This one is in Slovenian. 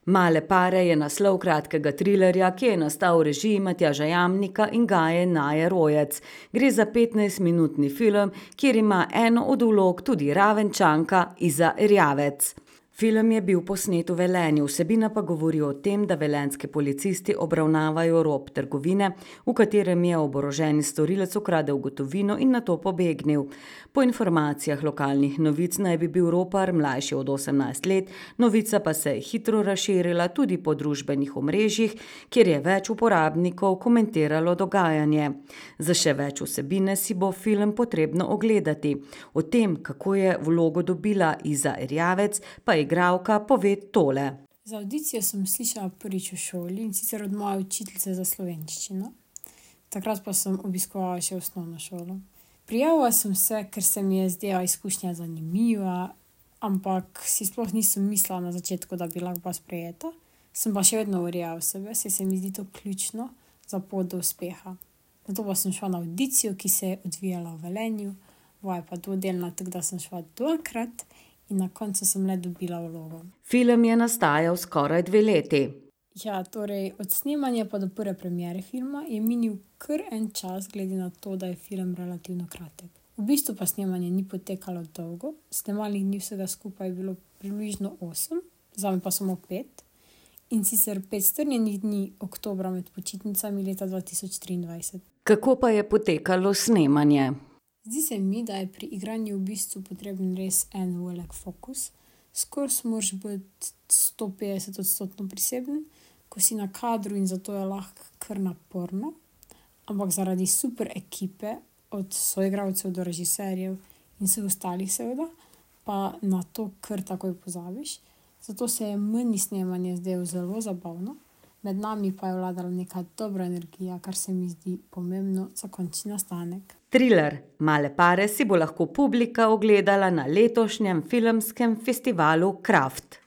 Male pare je naslov kratkega trilerja, ki je nastal v režiji Matjaža Jamnika in Gaje Naje Rojec. Gre za 15-minutni film, kjer ima eno od vlog tudi Ravenčanka Iza Erjavec. Film je bil posnet v Velenju, vsebina pa govori o tem, da velenjski policisti obravnavajo rop trgovine, v katerem je oboroženi storilec ukradel gotovino in nato pobegnil. Po informacijah lokalnih novic naj bi bil ropar mlajši od 18 let, novica pa se je hitro razširila tudi po družbenih omrežjih, kjer je več uporabnikov komentiralo dogajanje. Za še več vsebine si bo film potrebno ogledati. O tem, kako je vlogo dobila Iza Erjavec, pa je igralka pove tole. Za avdicijo sem slišala prvič v šoli, in sicer od moje učiteljice za slovenščino. Takrat pa sem obiskovala še osnovno šolo. Prijavila sem se, ker se mi je zdela izkušnja zanimiva, ampak si sploh nisem mislila na začetku, da bi lahko sprejeta. Sem pa še vedno verjela v sebe, saj se mi zdi to ključno za pot do uspeha. Zato pa sem šla na avdicijo, ki se je odvijala v Velenju, vaja pa dvodelna, tako da sem šla dvakrat in na koncu sem le dobila vlogo. Film je nastajal skoraj 2 leti. Ja, torej od snemanja pa do prve premiere filma je minil kar en čas, glede na to, da je film relativno kratek. V bistvu pa snemanje ni potekalo dolgo, snemalnih dni vsega skupaj je bilo približno 8, zame pa samo 5, in sicer 5 strnjenih dni oktobra med počitnicami leta 2023. Kako pa je potekalo snemanje? Zdi se mi, da je pri igranju v bistvu potreben res en velik fokus. Skoraj moraš biti 150% priseben, ko si na kadru, in zato je lahko kar naporno. Ampak zaradi super ekipe, od soigralcev do režiserjev in vseh ostalih seveda, pa na to kar takoj pozabiš. Zato se je meni snemanje zdelo zelo zabavno. Med nami pa je vladala neka dobra energija, kar se mi zdi pomembno za končni nastanek. Triler Male pare si bo lahko publika ogledala na letošnjem filmskem festivalu Kraft.